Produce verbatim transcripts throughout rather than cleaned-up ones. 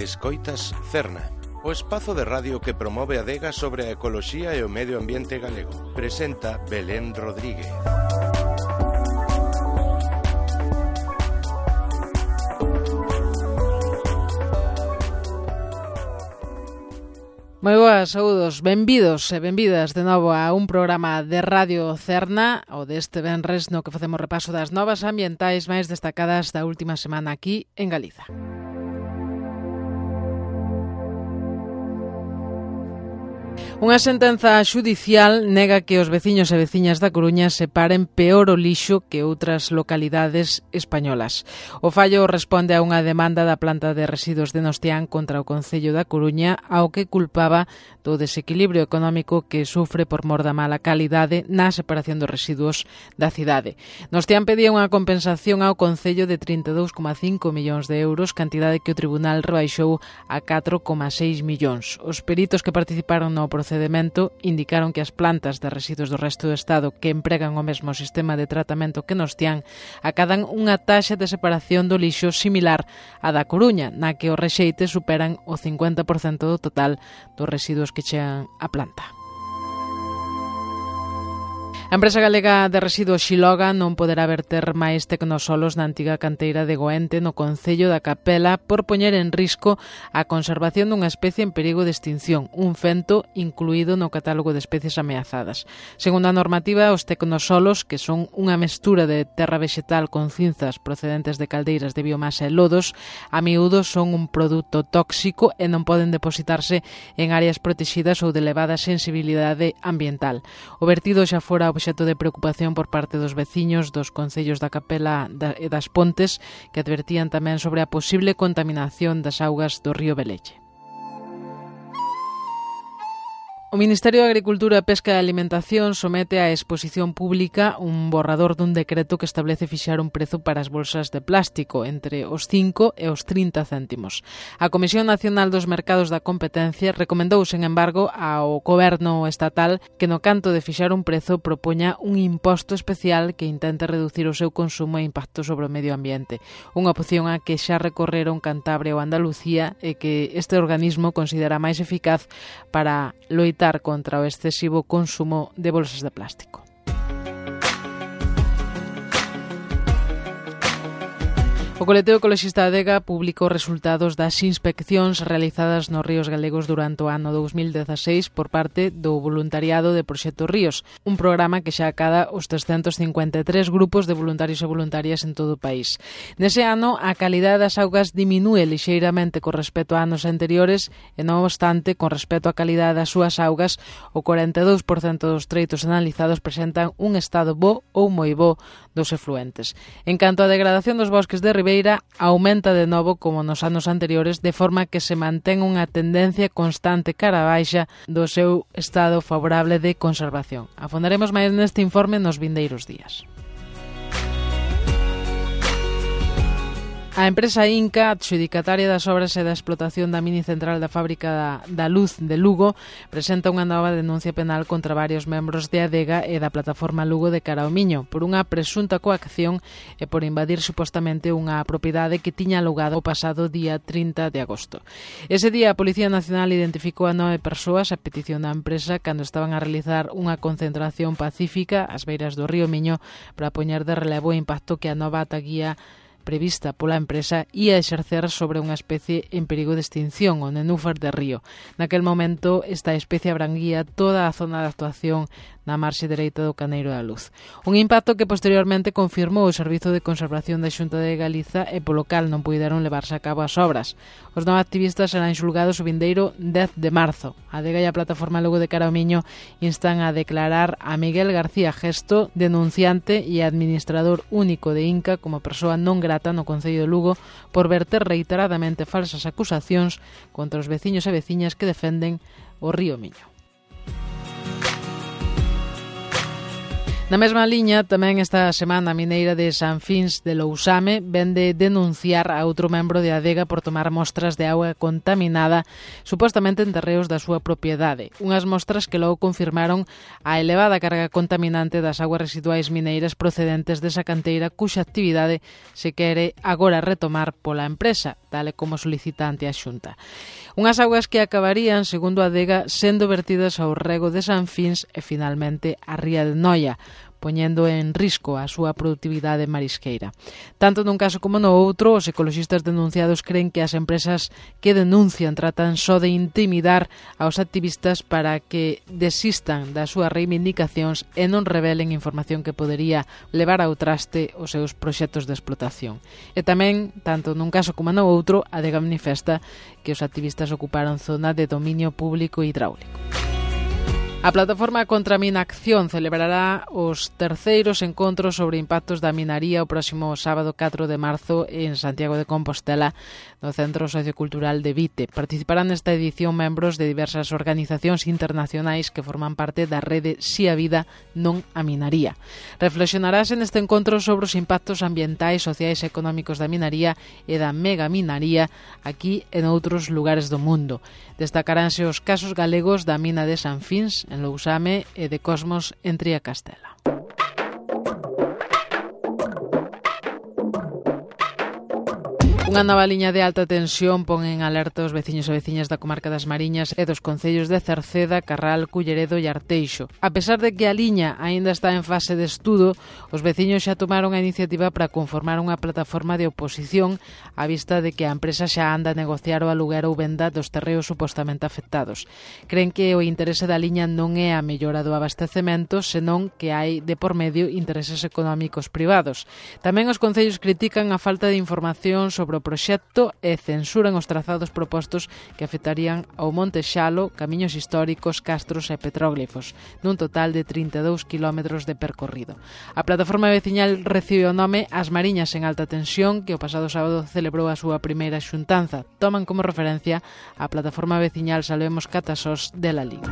Escoitas Cerna, o espazo de radio que promove a adega sobre a ecoloxía e o medio ambiente galego. Presenta Belén Rodríguez. Moi boas, saúdos, benvidos e benvidas de novo a un programa de Radio Cerna, o deste venres no que facemos repaso das novas ambientais máis destacadas da última semana aquí en Galiza. Unha sentenza xudicial nega que os veciños e veciñas da Coruña separen peor o lixo que outras localidades españolas. O fallo responde a unha demanda da planta de residuos de Nostián contra o Concello da Coruña, ao que culpaba do desequilibrio económico que sufre por mor da mala calidade na separación dos residuos da cidade. Nostián pedía unha compensación ao Concello de trinta e dous coma cinco millóns de euros, cantidade que o Tribunal rebaixou a catro coma seis millóns. Os peritos que participaron no procedimento indicaron que as plantas de residuos do resto do Estado que empregan o mesmo sistema de tratamento que Nostián acadan unha taxa de separación do lixo similar á da Coruña, na que os rexeites superan o cincuenta por cento do total dos residuos que chegan á planta. A empresa galega de residuos Xiloga non poderá verter máis tecnosolos na antiga canteira de Goente no Concello da Capela por poñer en risco a conservación dunha especie en perigo de extinción, un fento incluído no catálogo de especies ameazadas. Segundo a normativa, os tecnosolos, que son unha mestura de terra vegetal con cinzas procedentes de caldeiras de biomasa e lodos, a miúdo son un produto tóxico e non poden depositarse en áreas protegidas ou de elevada sensibilidade ambiental. O vertido xa fora obxecto de preocupación por parte dos veciños dos concellos da Capela e das Pontes, que advertían tamén sobre a posible contaminación das augas do río Velelle. O Ministerio de Agricultura, Pesca e Alimentación somete á exposición pública un borrador dun decreto que establece fixar un prezo para as bolsas de plástico entre os cinco e os trinta céntimos. A Comisión Nacional dos Mercados da Competencia recomendou, sen embargo, ao Goberno estatal que no canto de fixar un prezo propoña un imposto especial que intente reducir o seu consumo e impacto sobre o medio ambiente. Unha opción a que xa recorreron Cantabria ou Andalucía e que este organismo considera máis eficaz para loitar contra o excesivo consumo de bolsas de plástico. O colectivo ecoloxista Adega publicou resultados das inspeccións realizadas nos ríos galegos durante o ano dous mil dezaseis por parte do voluntariado de Proxecto Ríos, un programa que xa acada os trescentos cincuenta e tres grupos de voluntarios e voluntarias en todo o país. Nese ano, a calidade das augas diminúe lixeiramente con respecto a anos anteriores e, non obstante, con respecto á calidade das súas augas, o corenta e dous por cento dos treitos analizados presentan un estado bo ou moi bo dos efluentes. En canto á degradación dos bosques de ribeira, aumenta de novo como nos anos anteriores, de forma que se mantén unha tendencia constante cara a baixa do seu estado favorable de conservación. Afondaremos máis neste informe nos vindeiros días. A empresa Inca, adxudicataria das obras e da explotación da mini central da fábrica da, da Luz de Lugo, presenta unha nova denuncia penal contra varios membros de Adega e da plataforma Lugo de cara ao Miño por unha presunta coacción e por invadir supostamente unha propiedade que tiña alugado o pasado día trinta de agosto. Ese día a Policía Nacional identificou a nove persoas a petición da empresa cando estaban a realizar unha concentración pacífica ás beiras do río Miño para poñer de relevo o impacto que a nova ataguía prevista pola empresa ia exercer sobre unha especie en perigo de extinción, o nenúfar de río. Naquel momento, esta especie abranguía toda a zona de actuación na marxe dereita do Caneiro da Luz. Un impacto que posteriormente confirmou o Servizo de Conservación da Xunta de Galiza e polo cal non puideron levarse a cabo as obras. Os nove activistas serán xulgados o vindeiro dez de marzo. A Adega e a plataforma Lugo de cara ao Miño instan a declarar a Miguel García Gesto, denunciante e administrador único de Inca, como persoa non grata no Concello de Lugo por verter reiteradamente falsas acusacións contra os veciños e veciñas que defenden o río Miño. Na mesma liña, tamén esta semana a mineira de San Fins de Lousame vende denunciar a outro membro de Adega por tomar mostras de auga contaminada supostamente en terreos da súa propiedade. Unhas mostras que logo confirmaron a elevada carga contaminante das aguas residuais mineiras procedentes desa canteira cuxa actividade se quere agora retomar pola empresa. tal e como solicitante a Xunta. Unhas augas que acabarían, segundo a Adega, sendo vertidas ao rego de Sanfins e finalmente a ría de Noia, poñendo en risco a súa produtividade marisqueira. Tanto nun caso como no outro, os ecoloxistas denunciados creen que as empresas que denuncian tratan só de intimidar aos activistas para que desistan das súas reivindicacións e non revelen información que podería levar ao traste os seus proxectos de explotación. E tamén, tanto nun caso como no outro, a Adega manifesta que os activistas ocuparon zona de dominio público hidráulico. A plataforma contra a Minacción celebrará os terceiros encontros sobre impactos da minaría o próximo sábado catro de marzo en Santiago de Compostela, no Centro Sociocultural de Vite. Participarán nesta edición membros de diversas organizacións internacionais que forman parte da rede Si a Vida Non a Minaría. Reflexionarase neste encontro sobre os impactos ambientais, sociais e económicos da minaría e da megaminaría aquí e noutros lugares do mundo. Destacaránse os casos galegos da mina de Sanfins, en Lousame, e de Cosmos en Triacastela. Unha nova liña de alta tensión pon en alerta os veciños e veciñas da comarca das Mariñas e dos concellos de Cerceda, Carral, Culleredo e Arteixo. A pesar de que a liña aínda está en fase de estudo, os veciños xa tomaron a iniciativa para conformar unha plataforma de oposición á vista de que a empresa xa anda a negociar o aluguer ou venda dos terreos supostamente afectados. Creen que o interese da liña non é a mellora do abastecemento, senón que hai de por medio intereses económicos privados. Tamén os concellos critican a falta de información sobre o proxecto e censuran os trazados propostos que afectarían ao Monte Xalo, camiños históricos, castros e petróglifos, nun total de trinta e dous quilómetros de percorrido. A plataforma veciñal recibe o nome As Mariñas en Alta Tensión, que o pasado sábado celebrou a súa primeira xuntanza. Toman como referencia a plataforma veciñal Salvemos Catasós de Lalín.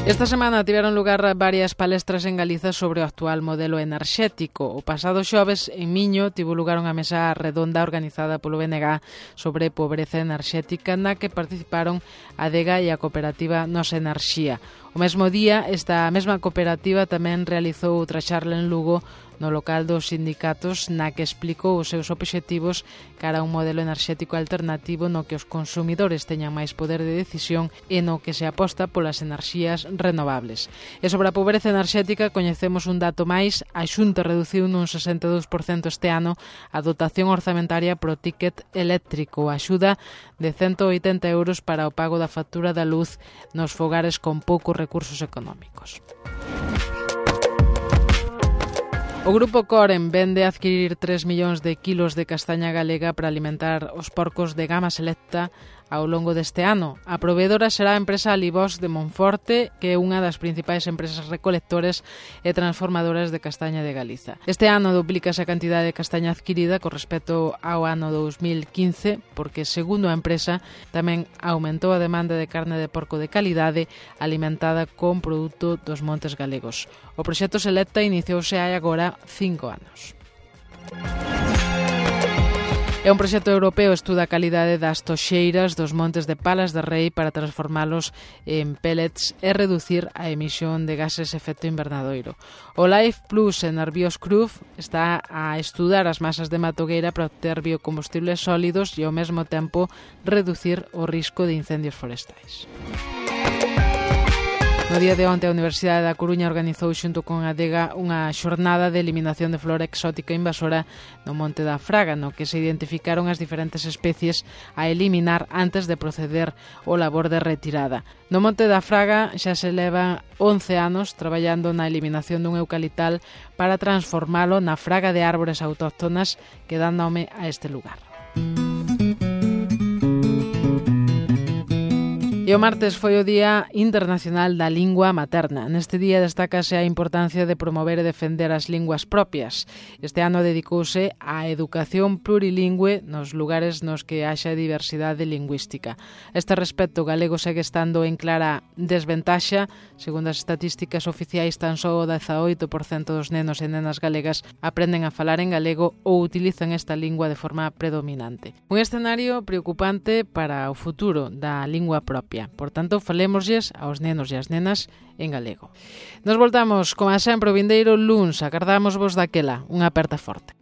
Esta semana tiveron lugar varias palestras en Galiza sobre o actual modelo enerxético. O pasado xoves, en Miño, tivo lugar unha mesa redonda organizada polo B N G sobre pobreza enerxética na que participaron a Adega e a cooperativa Nosa Enerxía. O mesmo día, esta mesma cooperativa tamén realizou outra charla en Lugo no local dos sindicatos na que explicou os seus obxectivos cara a un modelo enerxético alternativo no que os consumidores teñan máis poder de decisión e no que se aposta polas enerxías renovables. E sobre a pobreza enerxética coñecemos un dato máis: a Xunta reduciu nun sesenta e dous por cento este ano a dotación orzamentaria pro ticket eléctrico, a axuda de cento oitenta euros para o pago da factura da luz nos fogares con poucos recursos económicos. O grupo Coren vende adquirir tres millóns de kilos de castaña galega para alimentar os porcos de gama selecta ao longo deste ano. A proveedora será a empresa Alibós de Monforte, que é unha das principais empresas recolectores e transformadoras de castaña de Galiza. Este ano duplícase a cantidade de castaña adquirida con respecto ao ano dous mil quince, porque, segundo a empresa, tamén aumentou a demanda de carne de porco de calidade alimentada con produto dos montes galegos. O proxecto Selecta iniciouse hai agora cinco anos. É un proxecto europeo, estuda a calidade das toxeiras dos montes de Palas de Rei para transformalos en pellets e reducir a emisión de gases de efecto invernadoiro. O Life Plus en Nervios Cruz está a estudar as masas de matogueira para obter biocombustibles sólidos e ao mesmo tempo reducir o risco de incendios forestais. No día de onte, a Universidade da Coruña organizou xunto con a Adega unha xornada de eliminación de flora exótica invasora no Monte da Fraga, no que se identificaron as diferentes especies a eliminar antes de proceder ao labor de retirada. No Monte da Fraga xa se leva once anos traballando na eliminación dun eucaliptal para transformalo na fraga de árbores autóctonas que dan nome a este lugar. E o martes foi o Día Internacional da Lingua Materna. Neste día destácase a importancia de promover e defender as linguas propias. Este ano dedicouse á educación plurilingüe nos lugares nos que haxa diversidade lingüística. A este respecto, o galego segue estando en clara desventaxa. Segundo as estatísticas oficiais, tan só o dezaoito por cento dos nenos e nenas galegas aprenden a falar en galego ou utilizan esta lingua de forma predominante. Un escenario preocupante para o futuro da lingua propia. Por tanto, falémoslles aos nenos e as nenas en galego. Nos voltamos, como sempre, o vindeiro luns. Agardamos vos daquela. Unha aperta forte.